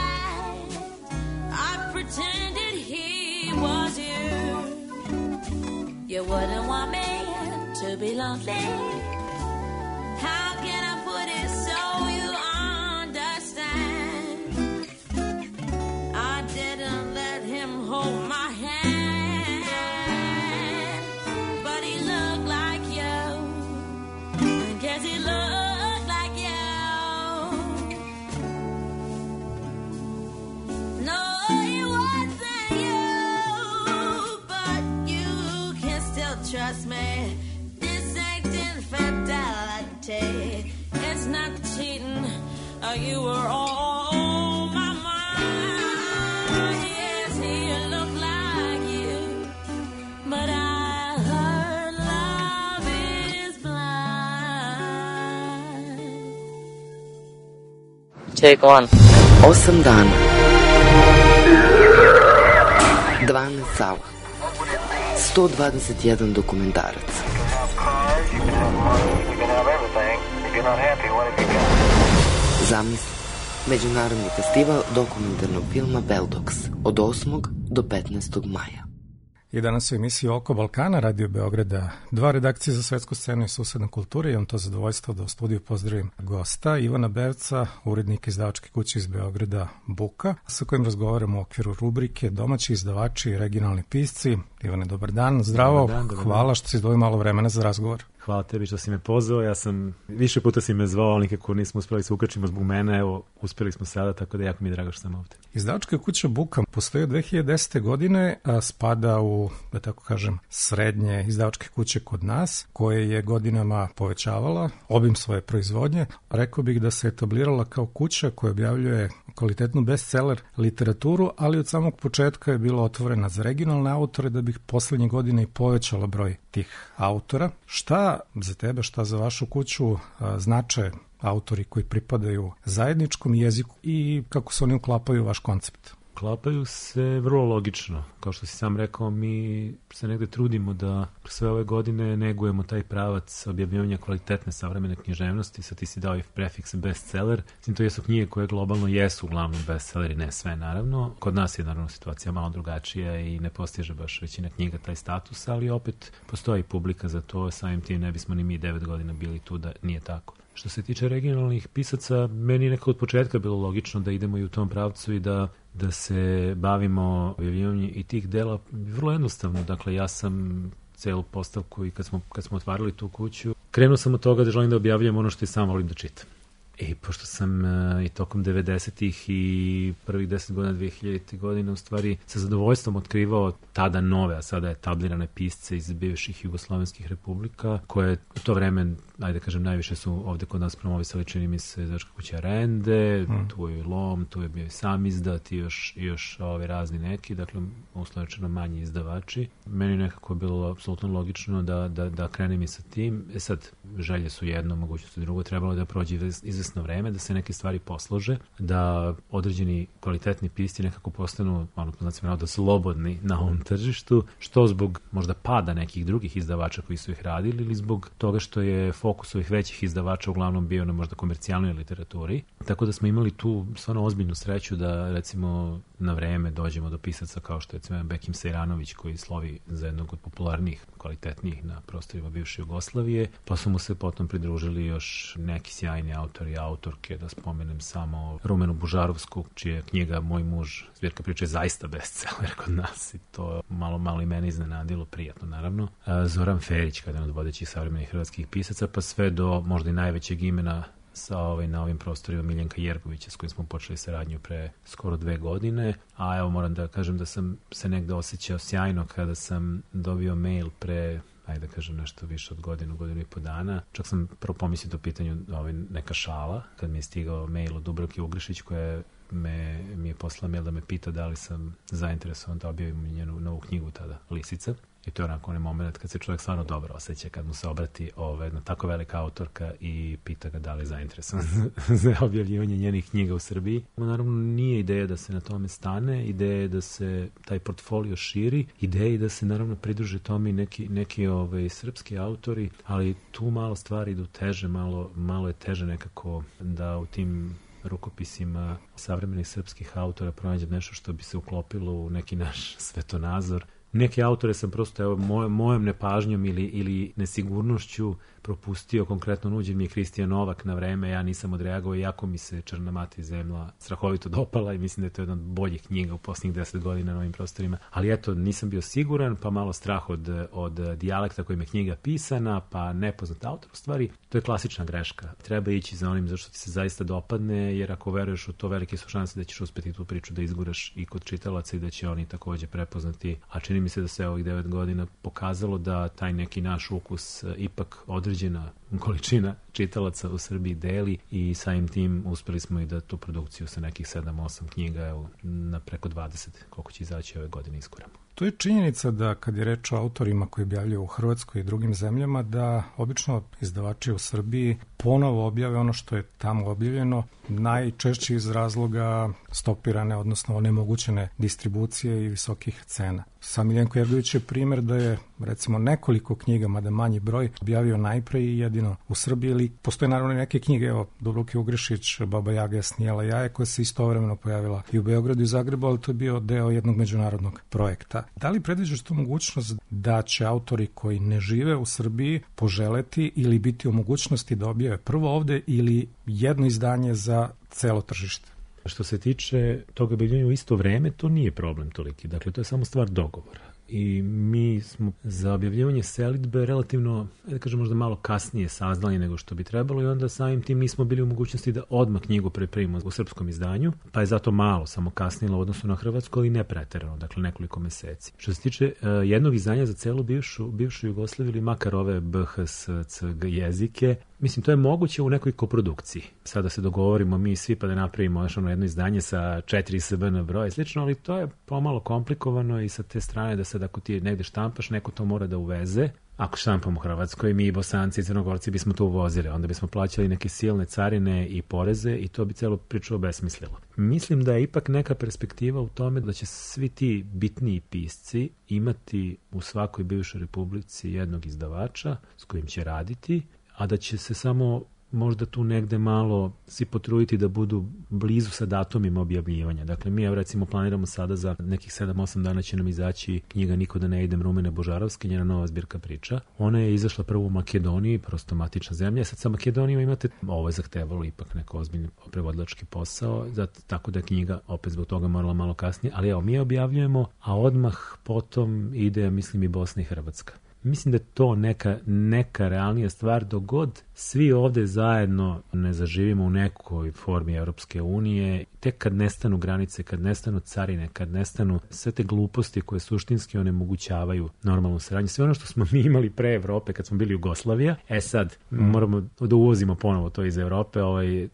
I pretended he was you. You wouldn't want me to be lonely. How can I put it so you understand? I didn't let him hold my hand, but he looked like you. Guess he looked like you. No, he wasn't you, but you can still trust me. This ain't infidelity. It's not cheating. Uh, you were on my mind. Yes, he looked like you, but I Take one. Osam dana. dvanaest sala. sto dvadeset jedan dokumentarac. Zamisli. Međunarodni festival dokumentarnog filma Beldox od osmog do petnaestog maja. I danas u emisiji Oko Balkana, Radio Beograda dva, redakcije za svetsku scenu i susedne kulture. Imam to zadovoljstvo da u studiju pozdravim gosta Ivana Berca, urednika izdavačke kuće iz Beograda Buka, sa kojim razgovaramo u okviru rubrike Domaći izdavači i regionalni pisci. Ivane, dobar dan, zdravo, dobar dan, dobar dan. Hvala što si izdvojio malo vremena za razgovor. Hvala tebi što si me pozvao, ja sam, više puta si me zvao, ali nikako nismo uspeli se ukačimo zbog mene, evo, uspeli smo sada, tako da jako mi je drago što sam ovdje. Izdavačka kuća Buka postoji od dve hiljade desete. godine, a spada u, da tako kažem, srednje izdavačke kuće kod nas, koje je godinama povećavala obim svoje proizvodnje. Rekao bih da se etablirala kao kuća koja objavljuje kvalitetnu bestseller literaturu, ali od samog početka je bila otvorena za regionalne autore, da bih poslednje godine i povećala broj tih autora. Šta za tebe, šta za vašu kuću znače autori koji pripadaju zajedničkom jeziku i kako se oni uklapaju u vaš koncept? Uklapaju se vrlo logično. Kao što si sam rekao, mi se negde trudimo da sve ove godine negujemo taj pravac objavljivanja kvalitetne savremene književnosti. Sad ti si dao i prefiks bestseller. Mislim, to jesu knjige koje globalno jesu uglavnom bestselleri, ne sve naravno. Kod nas je naravno situacija malo drugačija i ne postiže baš većina knjiga taj status, ali opet postoji publika za to. Samim tim ne bismo ni mi devet godina bili tu da nije tako. Što se tiče regionalnih pisaca, meni je nekako od početka bilo logično da idemo i u tom pravcu i da, da se bavimo objavljivanjem i tih dela vrlo jednostavno. Dakle, ja sam celu postavku i kad smo, kad smo otvarali tu kuću, krenuo sam od toga da želim da objavljujem ono što i sam volim da čitam. I pošto sam uh, i tokom devedesetih i prvih deset godina dve hiljadite godine u stvari sa zadovoljstvom otkrivao tada nove, a sada etablirane pisce iz bivših jugoslovenskih republika, koje u to vreme ajde kažem, najviše su ovde kod nas promovisali, čini mi se, izdavačka kuća Rende, mm. tu je Lom, tu je bio i Sam izdat i još, još ove razni neki, dakle, uslovečeno manji izdavači. Meni nekako je bilo apsolutno logično da, da, da krenem i sa tim. E sad, želje su jedno, mogućnost drugo, trebalo je da prođe izvesno vreme, da se neke stvari poslože, da određeni kvalitetni pisci nekako postanu, ono, znači, da slobodni na ovom tržištu, što zbog možda pada nekih drugih izdavača koji su ih radili ili zbog toga što je fokus ovih većih izdavača uglavnom bio na možda komercijalnoj literaturi. Tako da smo imali tu stvarno ozbiljnu sreću da, recimo, na vreme dođemo do pisaca kao što je, recimo, Bekim Sejranović, koji slovi za jednog od popularnijih, kvalitetnijih na prostorima bivše Jugoslavije, pa su mu se potom pridružili još neki sjajni autori i autorke, da spomenem samo Rumenu Bužarovsku, čija knjiga Moj muž, zbirka priče, je zaista bestseller kod nas i to malo, malo i mene iznenadilo, prijatno naravno. Zoran Ferić, kada je jedan od vodećih savremenih hrvatskih pisaca, pa sve do možda i najvećeg imena sa ovaj, na ovim prostorima Miljenka Jergovića, s kojim smo počeli saradnju pre skoro dve godine, a evo moram da kažem da sam se negde osjećao sjajno kada sam dobio mail pre, ajde da kažem, nešto više od godinu, godinu i po dana. Čak sam prvo pomislio do pitanju ovaj, neka šala, kad mi je stigao mail od Dubravke Ugrišić, koja me, mi je poslala mail da me pita da li sam zainteresovan da objavim njenu novu knjigu tada, Lisica. I to je onako onaj moment kad se čovjek stvarno dobro osjeća, kad mu se obrati ove, jedna tako velika autorka i pita ga da li je zainteresovan za objavljivanje njenih knjiga u Srbiji. Naravno, nije ideja da se na tome stane, ideja je da se taj portfolio širi, ideja je da se naravno pridruže tome neki, neki ove, srpski autori, ali tu malo stvari idu teže, malo, malo je teže nekako da u tim rukopisima savremenih srpskih autora pronađem nešto što bi se uklopilo u neki naš svetonazor. Neke autore sam prosto, evo, moj, mojom nepažnjom ili, ili nesigurnošću propustio. Konkretno nuđen mi je Kristijan Novak na vreme, ja nisam odreagovao, iako mi se Črna mati zemlja strahovito dopala i mislim da je to jedna od boljih knjiga u posljednjih deset godina na ovim prostorima. Ali eto, nisam bio siguran, pa malo strah od, od dijalekta kojim je knjiga pisana, pa nepoznat autor. U stvari, to je klasična greška. Treba ići za onim zašto ti se zaista dopadne, jer ako veruješ u to, velike su šanse da ćeš uspeti tu priču da izguraš i kod čitalaca i da će oni takođe prepoznati. A čini mi se da se ovih devet godina pokazalo da taj neki naš ukus ipak određena količina čitalaca u Srbiji deli i samim tim uspeli smo i da tu produkciju sa nekih sedam osam knjiga evo, na preko dvadeset, koliko će izaći ove godine iskoramo. To je činjenica da kad je reč o autorima koji objavljaju u Hrvatskoj i drugim zemljama, da obično izdavači u Srbiji ponovo objave ono što je tamo objavljeno, najčešće iz razloga stopirane, odnosno onemogućene distribucije i visokih cena. Sam Miljenko Jergović je primjer da je, recimo, nekoliko knjiga, mada manji broj, objavio najpre i jedino u Srbiji, ili postoje naravno neke knjige, evo, Dubravke Ugrišić, Baba Jaga snijela jaje, koja se istovremeno pojavila i u Beogradu i u Zagrebu, ali to je bio deo jednog međunarodnog projekta. Da li predviđaš tu mogućnost da će autori koji ne žive u Srbiji poželeti ili biti u mogućnosti da objave prvo ovde ili jedno izdanje za celo tržište? Što se tiče toga objavljivanja u isto vreme, to nije problem toliki. Dakle, to je samo stvar dogovora. I mi smo za objavljivanje selidbe relativno, da kažem, možda malo kasnije saznali nego što bi trebalo i onda samim tim nismo bili u mogućnosti da odmah knjigu pripremimo u srpskom izdanju, pa je zato malo samo kasnilo u odnosu na hrvatsko, ali ne preterano, dakle nekoliko meseci. Što se tiče uh, jednog izdanja za celu bivšu, bivšu Jugoslaviju ili makar ove B H S C G jezike, mislim, to je moguće u nekoj koprodukciji. Sada se dogovorimo mi svi pa da napravimo još ono jedno izdanje sa četiri S B N broja i slično, ali to je pomalo komplikovano i sa te strane da sad ako ti negde štampaš, neko to mora da uveze. Ako štampamo u Hrvatskoj, mi Bosanci i Crnogorci bismo to uvozili, onda bismo plaćali neke silne carine i poreze i to bi celo priču obesmislilo. Mislim da je ipak neka perspektiva u tome da će svi ti bitniji pisci imati u svakoj bivšoj republici jednog izdavača s kojim će raditi, a da će se samo možda tu negde malo svi potruditi da budu blizu sa datumima objavljivanja. Dakle, mi recimo planiramo sada za nekih sedam osam dana će nam izaći knjiga Niko da ne idem Rumene Bužarovske, njena nova zbirka priča. Ona je izašla prvo u Makedoniji, prosto matična zemlja. Sad sa Makedonijom imate, ovo je zahtevalo ipak neko ozbiljni prevodilački posao, zato, tako da je knjiga opet zbog toga morala malo kasnije. Ali evo, mi je objavljujemo, a odmah potom ide, mislim, i Bosna i Hrvatska. Mislim da je to neka, neka realnija stvar, dok god svi ovde zajedno ne zaživimo u nekoj formi Evropske unije, tek kad nestanu granice, kad nestanu carine, kad nestanu sve te gluposti koje suštinski onemogućavaju normalnu saradnju, sve ono što smo mi imali pre Evrope kad smo bili Jugoslavija, e sad mm. moramo da uvozimo ponovo to iz Evrope, ovaj,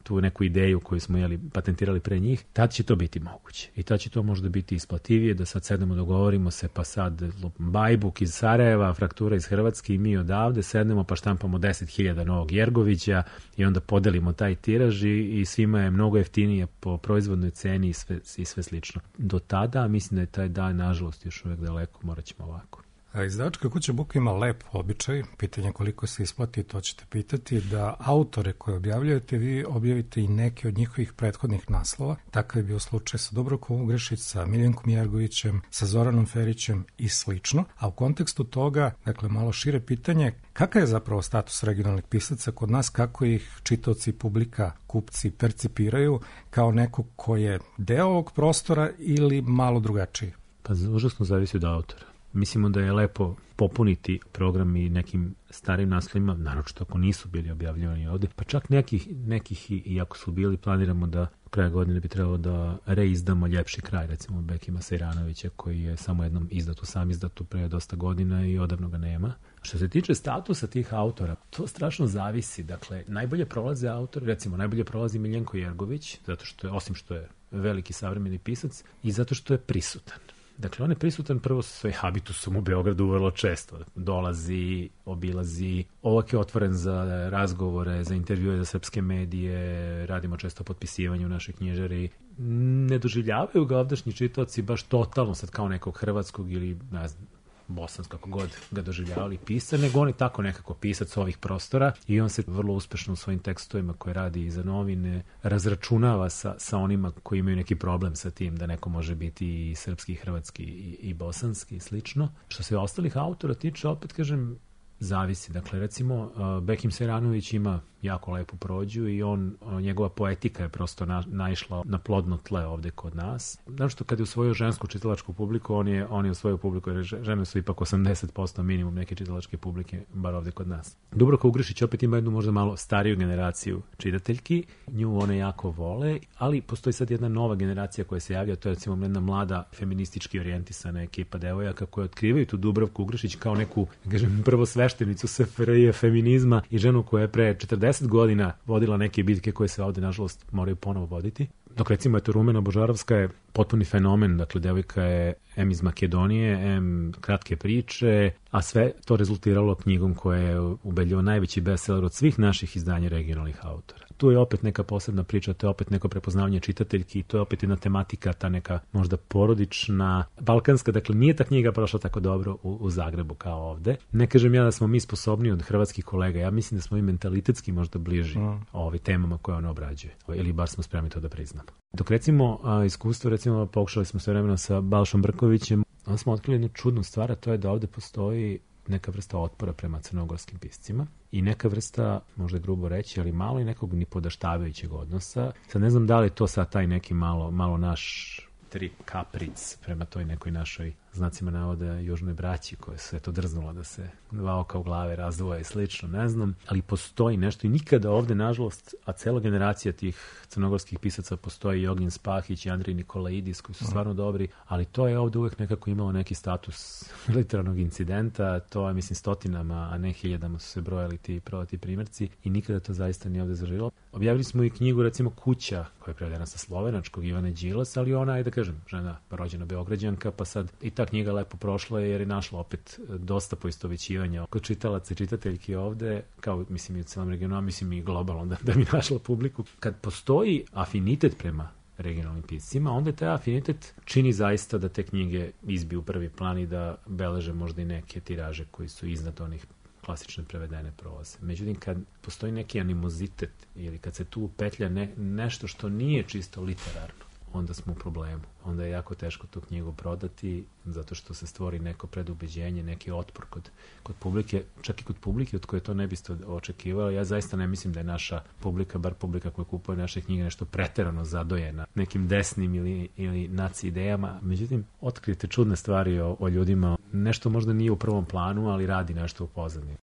tu neku ideju koju smo jeli, patentirali pre njih, tad će to biti moguće. I tad će to možda biti isplativije, da sad sednemo, dogovorimo se, pa sad Bajbuk iz Sarajeva, Fraktura iz Hrvatske i mi odavde sednemo pa štampamo deset hiljada novog Jergovića i onda podelimo taj tiraž i, i svima je mnogo jeftinije po proizvodnoj ceni i sve, i sve slično. Do tada mislim da je taj dan nažalost još uvek daleko, morat ćemo ovako. A izdavačka kuća Buka ima lep običaj, pitanje koliko se isplati, to ćete pitati, da autore koje objavljujete, vi objavite i neke od njihovih prethodnih naslova. Takav je bio slučaj sa Dubravkom Ugrešić, sa Miljenkom Jergovićem, sa Zoranom Ferićem i slično. A u kontekstu toga, dakle malo šire pitanje, kakav je zapravo status regionalnih pisaca kod nas, kako ih čitaoci, publika, kupci percipiraju kao neko ko je deo ovog prostora ili malo drugačiji? Pa užasno zavisi od autora. Mislimo da je lepo popuniti program i nekim starim naslovima, naročito ako nisu bili objavljivani ovde, pa čak nekih, nekih i, i ako su bili, planiramo da kraja godine bi trebalo da reizdamo Ljepši kraj, recimo Bekima Sejranovića, koji je samo jednom izdatu, sam izdatu pre dosta godina i odavno ga nema. Što se tiče statusa tih autora, to strašno zavisi. Dakle, najbolje prolaze autori, recimo najbolje prolazi Miljenko Jergović, zato što je, osim što je veliki savremeni pisac, i zato što je prisutan. Dakle, on je prisutan prvo sa svojim habitusom u Beogradu vrlo često. Dolazi, obilazi, ovak je otvoren za razgovore, za intervjue za srpske medije, radimo često potpisivanje u našoj knjižari. Ne doživljavaju ga ovdašnji čitaoci baš totalno sad kao nekog hrvatskog ili, ne znam, bosansko, kako god ga doživljavali pisar, nego on je tako nekako pisac ovih prostora i on se vrlo uspešno u svojim tekstovima koje radi i za novine razračunava sa, sa onima koji imaju neki problem sa tim da neko može biti i srpski, i hrvatski, i, i bosanski i slično. Što se ostalih autora tiče, opet kažem, zavisi. Dakle, recimo, uh, Bekim Sejranović ima jako lepu prođu i on, uh, njegova poetika je prosto na, naišla na plodno tle ovde kod nas. Znači što kad je usvojio žensku čitalačku publiku, on je, on je usvojio publiku, jer žene su ipak osamdeset posto minimum neke čitalačke publike, bar ovde kod nas. Dubravka Ugrešić opet ima jednu možda malo stariju generaciju čitateljki, nju one jako vole, ali postoji sad jedna nova generacija koja se javlja, to je recimo jedna mlada feministički orijentisana ekipa devojaka koje otkrivaju tu Dubravku Ugrešić kao neku, kažem, prvo sveštenicu S F R J feminizma i ženu koja je pre četrdeset godina vodila neke bitke koje se ovde, nažalost, moraju ponovo voditi. Dok recimo eto Rumena Božarovska je potpuni fenomen, dakle devojka je em iz Makedonije, em kratke priče, a sve to rezultiralo knjigom koja je ubedljivo najveći bestseller od svih naših izdanja regionalnih autora. Tu je opet neka posebna priča, to je opet neko prepoznavanje čitateljki i to je opet jedna tematika, ta neka možda porodična, balkanska, dakle nije ta knjiga prošla tako dobro u, u Zagrebu kao ovde. Ne kažem ja da smo mi sposobni od hrvatskih kolega, ja mislim da smo i mentalitetski možda bliži mm. ovim temama koje on obrađuje, ili bar smo spremni to da priznamo. Dok recimo a, iskustvo, recimo pokušali smo sve vremena sa Balšom Brkovićem, onda smo otkrili jednu čudnu stvar, a to je da ovde postoji neka vrsta otpora prema crnogorskim piscima i neka vrsta, možda je grubo reći, ali malo i nekog nipodaštavajućeg odnosa. Sad ne znam da li to sad taj neki malo, malo naš trip kapric prema toj nekoj našoj, znacima navode, južnoj braći koje se to drznulo da se dva oka u glave razdvoje i slično, ne znam, ali postoji nešto i nikada ovde, nažalost, a cela generacija tih crnogorskih pisaca postoji i Ognjen Spahić i Andrej Nikolaidis koji su stvarno dobri, ali to je ovde uvek nekako imalo neki status literarnog incidenta, to je, mislim, stotinama, a ne hiljadama su se brojali ti prodati primjerci i nikada to zaista nije ovde zaživilo. Objavili smo i knjigu, recimo, Kuća, koja je prevedena sa slovenačkog, Ivane Đilas, ali ona je, da kažem, žena rođena Beograđanka, pa sad i ta knjiga lepo prošla jer je našla opet dosta poistovećivanja kod čitalaca i čitateljki ovde, kao mislim i u celom regionu, a mislim i globalno da, da bi našla publiku. Kad postoji afinitet prema regionalnim piscima, onda taj afinitet čini zaista da te knjige izbiju u prvi plan i da beleže možda i neke tiraže koji su iznad onih klasične prevedene proze. Međutim, kad postoji neki animozitet ili kad se tu upetlja ne, nešto što nije čisto literarno, onda smo u problemu. Onda je jako teško tu knjigu prodati, zato što se stvori neko predubeđenje, neki otpor kod, kod publike, čak i kod publike od koje to ne biste očekivali. Ja zaista ne mislim da je naša publika, bar publika koja kupuje naše knjige, nešto preterano zadojena nekim desnim ili, ili naci idejama. Međutim, otkrijete čudne stvari o, o ljudima. Nešto možda nije u prvom planu, ali radi nešto u pozadini.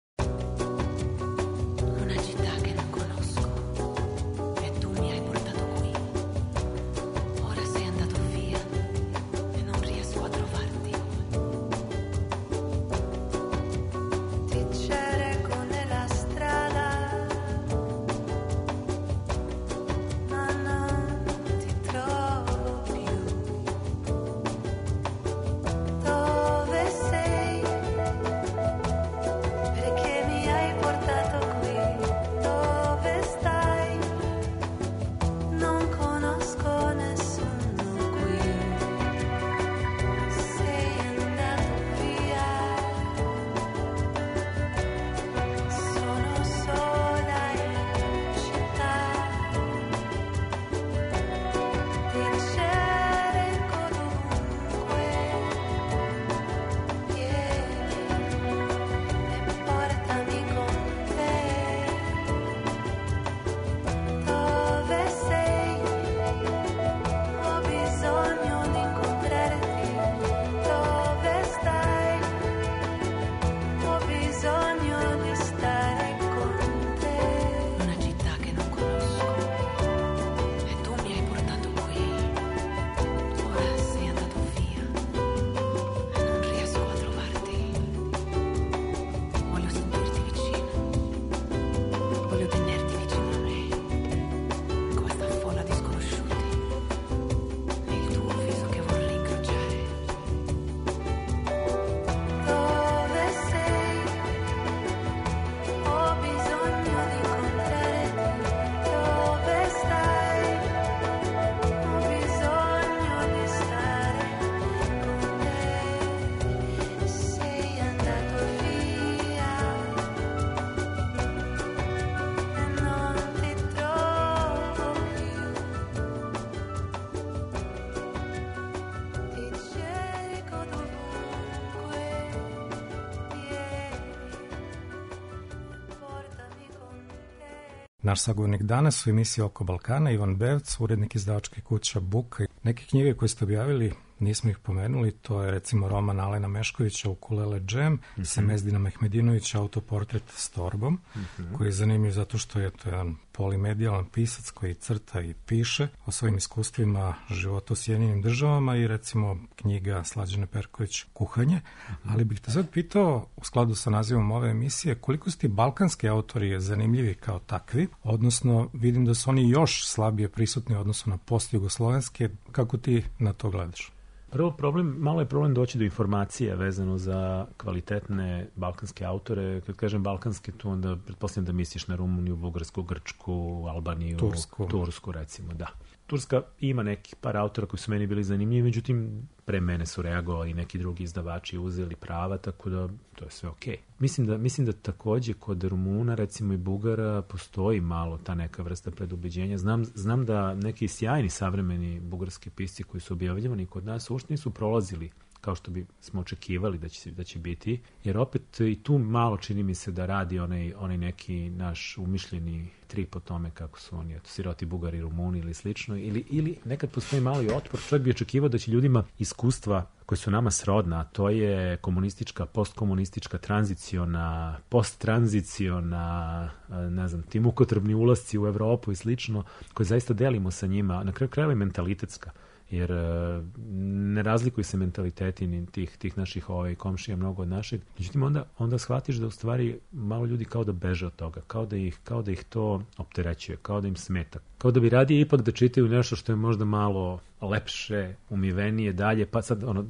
Naš sagovornik danas u emisiji Oko Balkana, Ivan Bevc, urednik izdavačke kuće Buka. Neke knjige koje ste objavili, nismo ih pomenuli, to je recimo roman Alena Meškovića Ukulele džem, mm-hmm. Semezdina Mehmedinovića Autoportret s torbom, mm-hmm. koji je zanimljiv zato što je to jedan polimedijalan pisac koji crta i piše o svojim iskustvima života u Sjedinjenim državama i recimo knjiga Slađane Perković Kuhanje. Mm-hmm. Ali bih te sad pitao, u skladu sa nazivom ove emisije, koliko su ti balkanski autori zanimljivi kao takvi, odnosno vidim da su oni još slabije prisutni u odnosu na postjugoslovenske, kako ti na to gledaš? Prvo problem, malo je problem doći do informacije vezano za kvalitetne balkanske autore. Kad kažem balkanske, tu onda pretpostavljam da misliš na Rumuniju, Bugarsku, Grčku, Albaniju, Tursku, Tursku recimo, da. Turska ima nekih par autora koji su meni bili zanimljivi, međutim, pre mene su reagovali neki drugi izdavači, uzeli prava, tako da to je sve okej. Mislim da, mislim da takođe kod Rumuna, recimo i Bugara, postoji malo ta neka vrsta predubeđenja. Znam, znam da neki sjajni savremeni bugarski pisci koji su objavljivani kod nas uopšte nisu prolazili kao što bi smo očekivali da će, da će biti, jer opet i tu malo čini mi se da radi onaj, onaj neki naš umišljeni trip o tome kako su oni, eto, siroti Bugari, Rumuni ili slično, ili, ili nekad postoji mali otpor. Čovjek bi očekivao da će ljudima iskustva koje su nama srodna, a to je komunistička, postkomunistička, tranziciona, posttranziciona, ne znam, ti mukotrbni ulasci u Evropu i slično, koje zaista delimo sa njima, na kraju krajeva i mentalitetska. Jer ne razlikuju se mentaliteti ni tih, tih naših ovaj, komšija mnogo od našeg. Međutim, onda, onda shvatiš da u stvari malo ljudi kao da beže od toga, kao da ih, kao da ih to opterećuje, kao da im smeta. Kao da bi radije ipak da čitaju nešto što je možda malo lepše, umivenije, dalje, pa sad ono,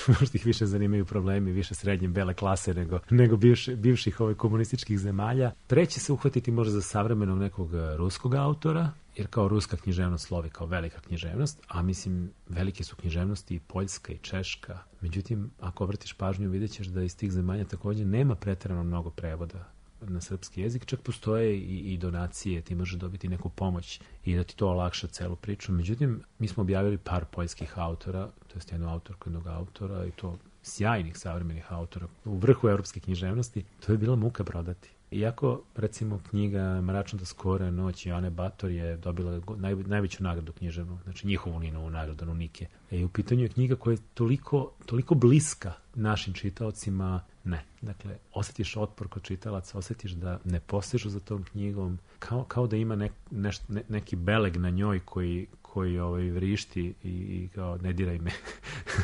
možda ih više zanimaju problemi, više srednje bele klase nego, nego bivši, bivših ovaj, komunističkih zemalja. Preće se uhvatiti možda za savremenog nekog ruskog autora, jer kao ruska književnost slovi kao velika književnost, a mislim velike su književnosti i Poljska i Češka. Međutim, ako obratiš pažnju, vidjet ćeš da iz tih zemalja također nema pretjerano mnogo prevoda na srpski jezik, čak postoje i, i donacije, ti možeš dobiti neku pomoć i da ti to olakša celu priču. Međutim, mi smo objavili par poljskih autora, to je jednu autorku, jednog autora i to sjajnih savremenih autora u vrhu evropske književnosti. To je bila muka prodati. Iako, recimo, knjiga Mračna skora noć Joane Bator je dobila naj, najveću nagradu književnu, znači njihovu Ninovu nagradu Nunike. E, u pitanju je knjiga koja je toliko, toliko bliska našim čitaocima, ne. Dakle, osjetiš otpor kod čitalaca, osjetiš da ne postižu za tom knjigom, kao, kao da ima nek, neš, ne, neki beleg na njoj koji, koji ovaj, vrišti i, i kao ne diraj me.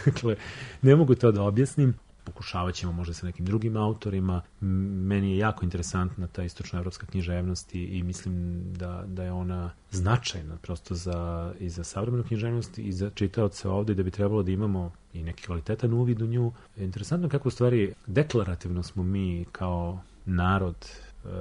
Dakle, ne mogu to da objasnim. Pokušavat ćemo možda sa nekim drugim autorima. Meni je jako interesantna ta istočnoevropska književnost i, i mislim da, da je ona značajna prosto za, i za savremenu književnost i za čitaoce ovde, da bi trebalo da imamo i neki kvalitetan uvid u nju. Interesantno kako u stvari deklarativno smo mi kao narod,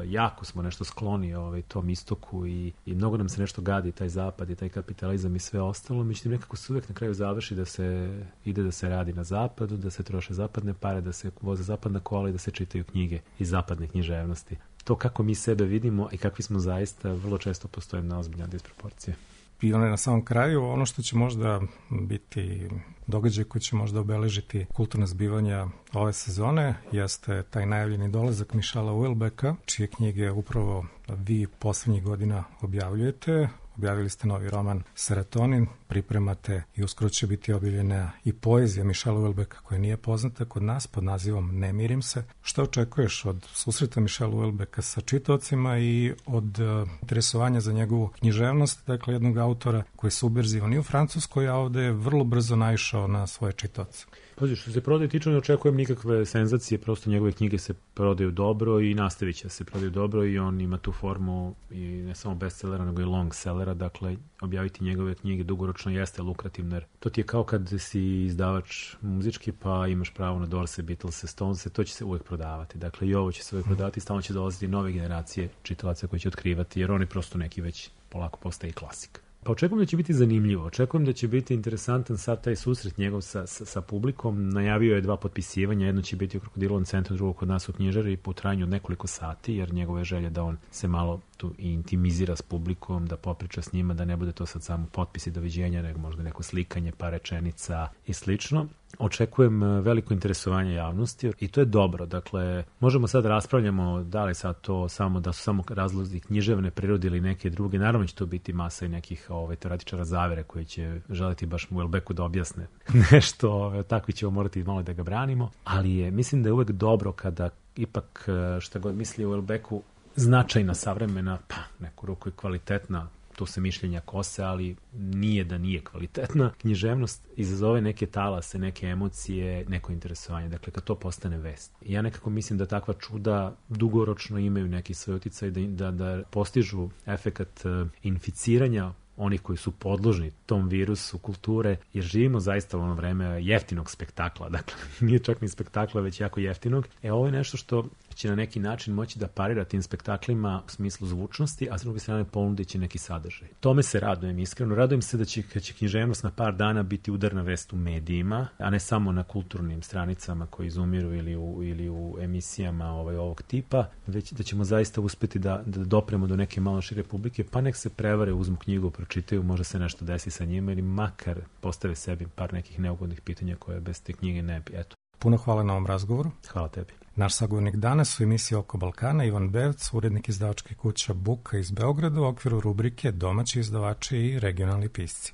jako smo nešto skloni ovaj, tom istoku i, i mnogo nam se nešto gadi, taj zapad i taj kapitalizam i sve ostalo, međutim nekako se uvijek na kraju završi da se ide da se radi na zapadu, da se troše zapadne pare, da se voze zapadna kola i da se čitaju knjige iz zapadne književnosti. To kako mi sebe vidimo i kakvi smo zaista, vrlo često postoje na ozbiljna disproporcije. I onda na samom kraju, ono što će možda biti događaj koji će možda obeležiti kulturna zbivanja ove sezone, jeste taj najavljeni dolazak Michela Houellebecqa, čije knjige upravo vi poslednjih godina objavljujete. Objavili ste novi roman Serotonin, pripremate i uskoro će biti objavljena i poezija Michela Houellebecqa koja nije poznata kod nas pod nazivom Ne mirim se. Šta očekuješ od susreta Michela Houellebecqa sa čitaocima i od uh, interesovanja za njegovu književnost, dakle jednog autora koji je subverzivan i u Francuskoj, a ovde je vrlo brzo naišao na svoje čitaoce? Pazi, što se prodaje tiče, ne očekujem nikakve senzacije, prosto njegove knjige se prodaju dobro i nastavit će se prodaju dobro i on ima tu formu i ne samo bestsellera, nego i long sellera, dakle objaviti njegove knjige dugoročno jeste lukrativno, jer to ti je kao kad si izdavač muzički pa imaš pravo na Dorse, Beatlese, Stonese, to će se uvek prodavati, dakle i ovo će se uvek prodavati, stalno će dolaziti nove generacije čitalaca koji će otkrivati, jer oni prosto neki već polako postaje klasik. Pa očekujem da će biti zanimljivo, očekujem da će biti interesantan sad taj susret njegov sa, sa, sa publikom. Najavio je dva potpisivanja, jedno će biti u Krokodilovom centru, drugo kod nas u knjižari po trajanju od nekoliko sati, jer njegove želje da on se malo tu intimizira s publikom, da popriča s njima, da ne bude to sad samo potpisi doviđenja, nego možda neko slikanje, par rečenica i slično. očekujem veliko interesovanje javnosti i to je dobro. Dakle, možemo sad raspravljamo da li sad to samo da su samo razlozi književne prirode ili neke druge. Naravno će to biti masa i nekih ovaj, teoretičara zavere koji će želiti baš Houellebecqu da objasne nešto. Ovaj, takvi ćemo morati malo da ga branimo. Ali je, mislim da je uvek dobro kada ipak šta god misli o Houellebecqu značajna, savremena, pa neku ruku i kvalitetna, to se mišljenja kose, ali nije da nije kvalitetna. Književnost izazove neke talase, neke emocije, neko interesovanje. Dakle, kad to postane vest. Ja nekako mislim da takva čuda dugoročno imaju neki svoj uticaj da, da, da postižu efekat uh, inficiranja onih koji su podložni tom virusu kulture, jer živimo zaista u ono vreme jeftinog spektakla. Dakle, nije čak ni spektakla, već jako jeftinog. E, ovo je nešto što će na neki način moći da parira tim spektaklima u smislu zvučnosti, a s druge strane ponudit će neki sadržaj. Tome se radujem iskreno. Radujem se da će, će književnost na par dana biti udarna vest u medijima, a ne samo na kulturnim stranicama koji izumiru ili u, ili u emisijama ovaj, ovog tipa, već da ćemo zaista uspeti da, da dopremo do neke malo šire publike, pa nek se prevare, uzmu knjigu, pročitaju, možda se nešto desi sa njima ili makar postave sebi par nekih neugodnih pitanja koje bez te knjige ne bi. Eto. Puno hvala na ovom razgovoru. Hvala tebi. Naš sagovornik danas u emisiji Oko Balkana, Ivan Bevc, urednik izdavačke kuće Buka iz Beograda u okviru rubrike Domaći izdavači i regionalni pisci.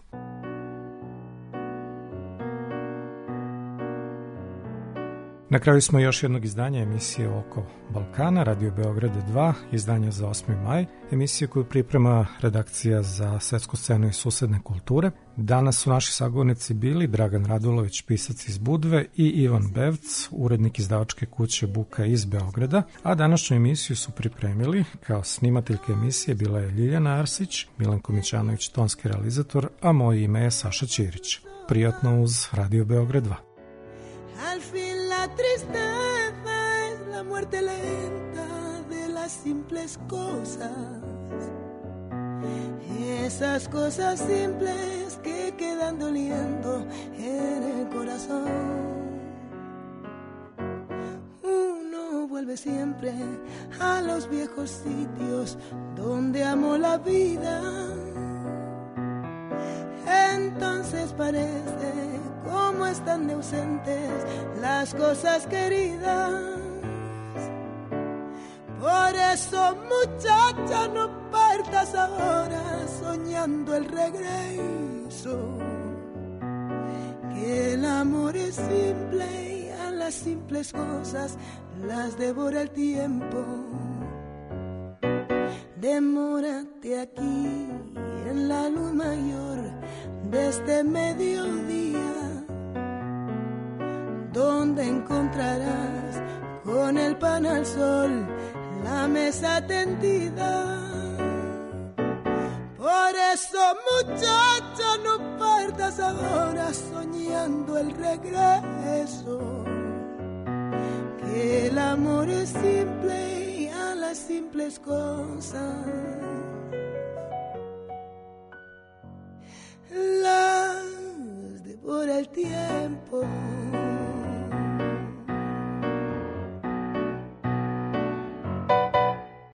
Na kraju smo još jednog izdanja emisije Oko Balkana, Radio Beograd dva, izdanje za osmi maj, emisiju koju priprema redakcija za svetsku scenu i susedne kulture. Danas su naši sagovornici bili Dragan Radulović, pisac iz Budve, i Ivan Bevc, urednik izdavačke kuće Buka iz Beograda, a današnju emisiju su pripremili, kao snimateljka emisije bila je Ljiljana Arsić, Milanko Mićanović, tonski realizator, a moje ime je Saša Ćirić. Prijatno uz Radio Beograd dva. La tristeza es la muerte lenta de las simples cosas, esas cosas simples que quedan doliendo en el corazón. Uno vuelve siempre a los viejos sitios donde amó la vida, entonces parece como están de ausentes las cosas queridas. Por eso, muchacha, no partas ahora soñando el regreso, que el amor es simple y a las simples cosas las devora el tiempo. Demórate aquí en la luz mayor de este mediodía, donde encontrarás con el pan al sol la mesa tendida. Por eso, muchacha, no partas ahora soñando el regreso, que el amor es simple y a las simples cosas las devora el tiempo.